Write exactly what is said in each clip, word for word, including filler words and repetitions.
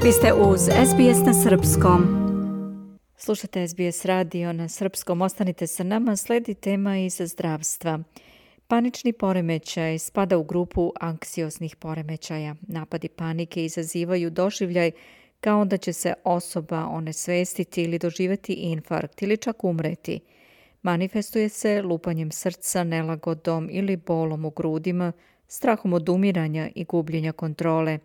Vi ste uz S B S na srpskom. Slušate S B S radio na srpskom. Ostanite sa nama, sledi tema iz zdravstva. Panični poremećaj spada u grupu anksioznih poremećaja. Napadi panike izazivaju doživljaj kao da će se osoba onesvestiti ili doživjeti infarkt ili čak umreti. Manifestuje se lupanjem srca, nelagodom ili bolom u grudima, strahom od umiranja i gubljenja kontrole.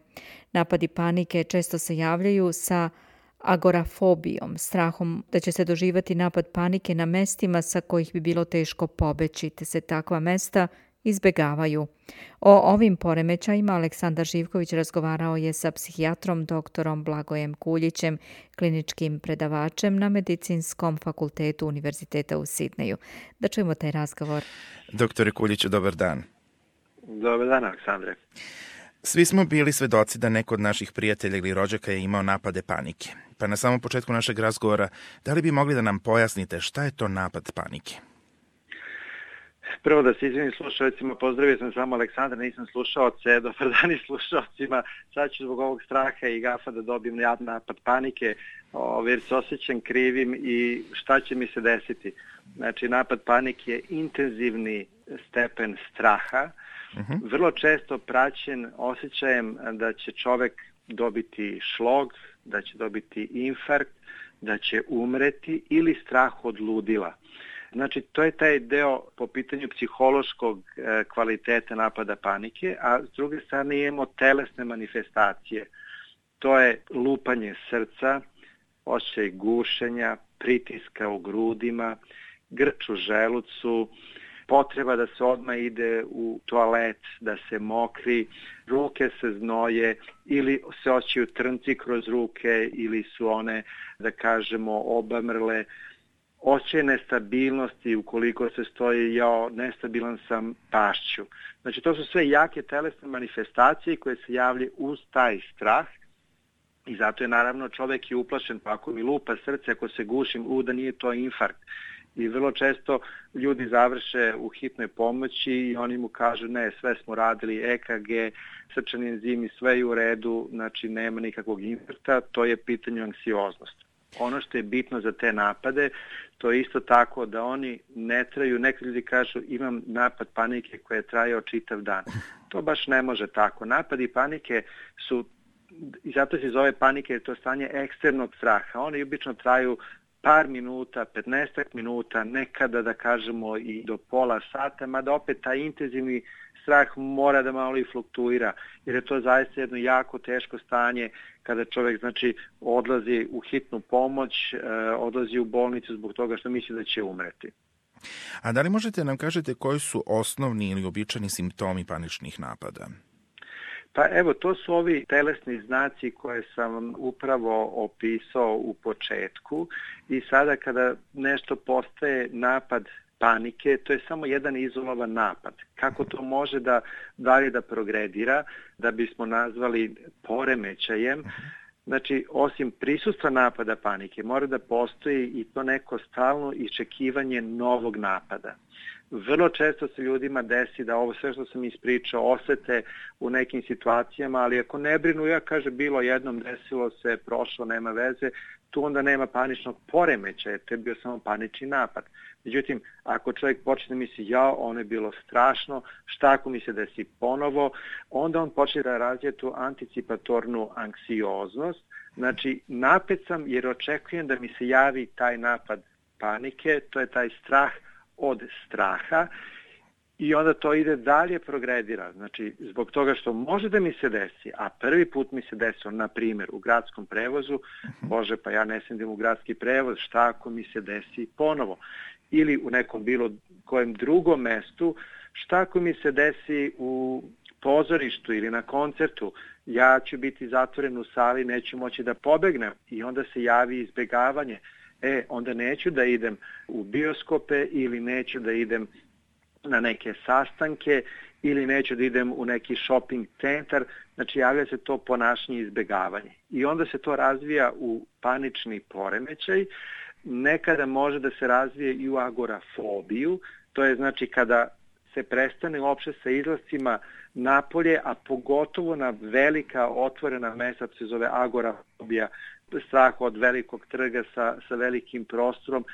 Napadi panike često se javljaju sa agorafobijom, strahom da će se doživjeti napad panike na mestima sa kojih bi bilo teško pobeći, te se takva mesta izbjegavaju. O ovim poremećajima Aleksandar Živković razgovarao je sa psihijatrom doktorom Blagojem Kuljićem, kliničkim predavačem na Medicinskom fakultetu Univerziteta u Sidneju. Da čujemo taj razgovor. Doktore Kuljiću, dobar dan. Dobar dan, Aleksandre. Svi smo bili svedoci da neko od naših prijatelja ili rođaka je imao napade panike. Pa na samom početku našeg razgovora, da li bi mogli da nam pojasnite šta je to napad panike? Prvo da se izvinim slušalcima, pozdravio sam samo Aleksandra, nisam slušaoce, dobar dan i slušalcima. Sad ću zbog ovog straha i gafa da dobijem napad panike, jer se osjećam krivim i šta će mi se desiti. Znači, napad panike je intenzivni stepen straha, uh-huh. vrlo često praćen osjećajem da će čovek dobiti šlog, da će dobiti infarkt, da će umreti ili strah od ludila. Znači, to je taj deo po pitanju psihološkog e, kvaliteta napada panike, a s druge strane imamo telesne manifestacije. To je lupanje srca, osjećaj gušenja, pritiska u grudima, grč u želucu, potreba da se odmah ide u toalet, da se mokri, ruke se znoje ili se osjećaju trnci kroz ruke ili su one, da kažemo, obamrle. Osjećaj nestabilnosti ukoliko se stoji jao, nestabilan sam, pašću. Znači, to su sve jake telesne manifestacije koje se javljaju uz taj strah i zato je naravno čovjek i uplašen, pa ako mi lupa srce, ako se gušim, u da nije to infarkt. I vrlo često ljudi završe u hitnoj pomoći i oni mu kažu ne, sve smo radili, E K G, srčani enzimi, sve je u redu, znači nema nikakvog infarkta, to je pitanje anksioznosti. Ono što je bitno za te napade, to je isto tako da oni ne traju, neki ljudi kažu imam napad panike koji je trajao čitav dan. To baš ne može tako. Napadi panike su, i zato se zove panike, jer to je stanje ekstremnog straha. Oni obično traju par minuta, petnaestak minuta, nekada da kažemo i do pola sata, mada opet taj intenzivni strah mora da malo i fluktuira, jer je to zaista jedno jako teško stanje kada čovjek znači odlazi u hitnu pomoć, eh, odlazi u bolnicu zbog toga što misli da će umreti. A da li možete nam kažete koji su osnovni ili običajni simptomi paničnih napada? Pa evo, to su ovi telesni znaci koje sam upravo opisao u početku i sada kada nešto postaje napad panike, to je samo jedan izolovan napad. Kako to može da dalje da progredira, da bismo nazvali poremećajem? Znači, osim prisustva napada panike, mora da postoji i to neko stalno iščekivanje novog napada. Vrlo često se ljudima desi da ovo sve što sam ispričao osete u nekim situacijama, ali ako ne brinu, ja kaže bilo jednom, desilo se, prošlo, nema veze, tu onda nema paničnog poremećaja, to je bio samo panični napad. Međutim, ako čovjek počne da misli, ja, ono je bilo strašno, šta ako mi se desi ponovo, onda on počne da razvije tu anticipatornu anksioznost. Znači, napet sam jer očekujem da mi se javi taj napad panike, to je taj strah od straha i onda to ide dalje, progredira. Znači, zbog toga što može da mi se desi, a prvi put mi se desilo, na primjer, u gradskom prevozu, bože, pa ja ne sjedim u gradski prevoz, šta ako mi se desi ponovo? Ili u nekom bilo kojem drugom mestu, šta ako mi se desi u pozorištu ili na koncertu, ja ću biti zatvoren u sali, neću moći da pobegnem i onda se javi izbjegavanje. E, onda neću da idem u bioskope ili neću da idem na neke sastanke ili neću da idem u neki shopping centar, znači javlja se to ponašanje izbjegavanje. I onda se to razvija u panični poremećaj, nekada može da se razvije i u agorafobiju, to je znači kada se prestane uopšte sa izlascima napolje, a pogotovo na velika otvorena mesta, se zove agorafobija, strah od velikog trga sa, sa velikim prostorom,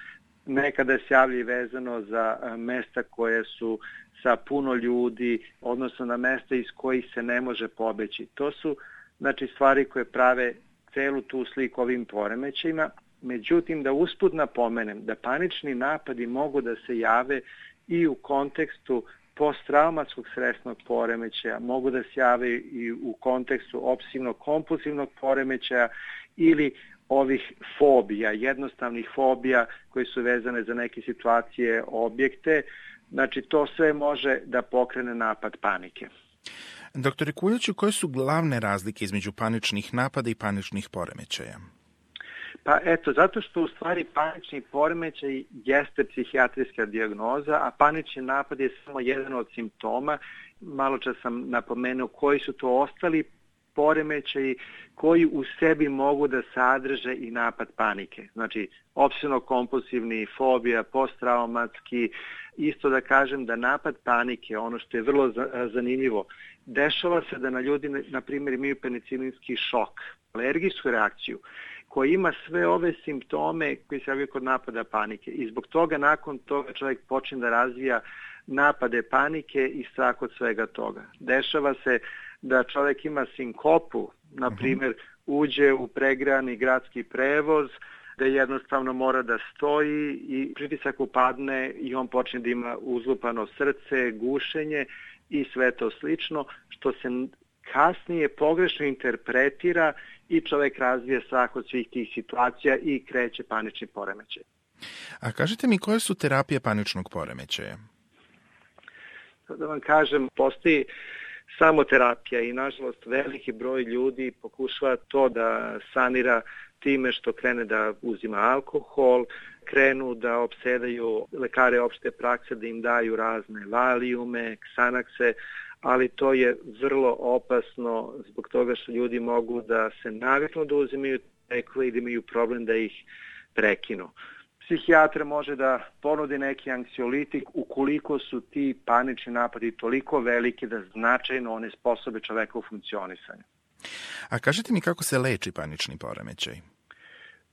nekada se javlja i vezano za mesta koje su sa puno ljudi, odnosno na mesta iz kojih se ne može pobeći. To su znači stvari koje prave celu tu sliku ovim poremećajima. Međutim, da usput napomenem da panični napadi mogu da se jave i u kontekstu posttraumatskog stresnog poremećaja, mogu da se jave i u kontekstu opsesivno-kompulsivnog poremećaja ili ovih fobija, jednostavnih fobija koje su vezane za neke situacije, objekte. Znači, to sve može da pokrene napad panike. Doktore Kuljiću, koje su glavne razlike između paničnih napada i paničnih poremećaja? Pa eto, zato što u stvari panični poremećaj jeste psihijatrijska dijagnoza, a panični napad je samo jedan od simptoma. Malo čas sam napomenuo koji su to ostali poremećaji koji u sebi mogu da sadrže i napad panike. Znači, opsesivno-kompulsivni, fobija, posttraumatski. Isto da kažem da napad panike, ono što je vrlo zanimljivo, dešava se da na ljudi, na primjer, imaju penicilinski šok, alergijsku reakciju, koji ima sve ove simptome koji se javljaju kod napada panike. I zbog toga, nakon toga, čovjek počne da razvija napade panike i strah od svega toga. Dešava se da čovjek ima sinkopu, na primjer, uđe u pregrani gradski prevoz, da jednostavno mora da stoji i pritisak upadne i on počne da ima uzlupano srce, gušenje i sve to slično, što se kasnije pogrešno interpretira i čovjek razvija strah od svih tih situacija i kreće panični poremećaj. A kažite mi, koje su terapije paničnog poremećaja? Da vam kažem, postoji samoterapija i nažalost veliki broj ljudi pokušava to da sanira time što krene da uzima alkohol, krenu da opsedaju lekare opšte prakse da im daju razne valijume, ksanakse, ali to je vrlo opasno zbog toga što ljudi mogu da se naviknu da uzimaju lekove i da imaju problem da ih prekinu. Psihijatra može da ponudi neki anksiolitik ukoliko su ti panični napadi toliko veliki da značajno one sposobe čoveka u funkcionisanju. A kažete mi kako se leči panični poremećaj?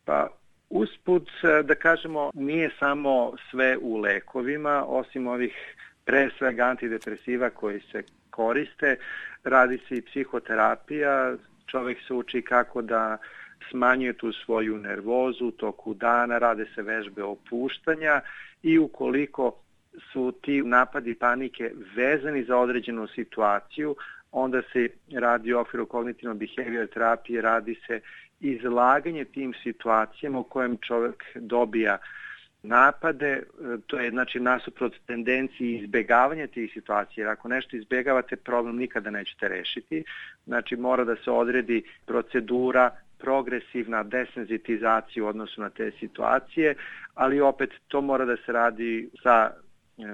Pa usput da kažemo nije samo sve u lekovima, osim ovih pre svega antidepresiva koji se koriste, radi se i psihoterapija, čovjek se uči kako da smanjuje tu svoju nervozu u toku dana, rade se vežbe opuštanja i ukoliko su ti napadi panike vezani za određenu situaciju, onda se radi u okviru kognitivno-behavior terapije, radi se izlaganje tim situacijama u kojem čovjek dobija napade, to je znači nasuprot tendenciji izbjegavanja tih situacija, jer ako nešto izbjegavate, problem nikada nećete rešiti, znači mora da se odredi procedura, progresivna desenzitizacija u odnosu na te situacije, ali opet to mora da se radi sa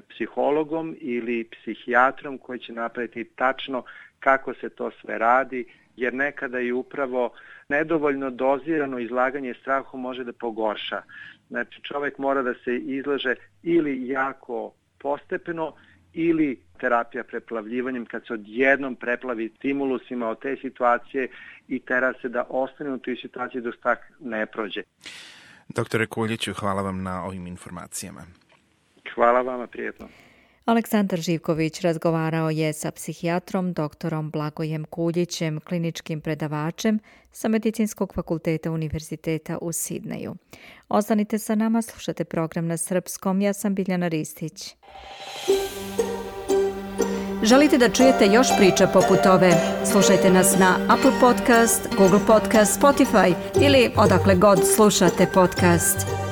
psihologom ili psihijatrom koji će napraviti tačno kako se to sve radi, jer nekada i upravo nedovoljno dozirano izlaganje strahu može da pogorša. Znači čovjek mora da se izlaže ili jako postepeno ili terapija preplavljivanjem kad se odjednom preplavi stimulusima od te situacije i tera se da ostane u toj situaciji dok tak ne prođe. Doktore Kuljiću, hvala vam na ovim informacijama. Hvala vama, prijetno. Aleksandar Živković razgovarao je sa psihijatrom doktorom Blagojem Kuljićem, kliničkim predavačem sa Medicinskog fakulteta Univerziteta u Sidneju. Ostanite sa nama, slušate program na srpskom. Ja sam Biljana Ristić. Želite da čujete još priča poput ove? Slušajte nas na Apple Podcast, Google Podcast, Spotify ili odakle god slušate podcast.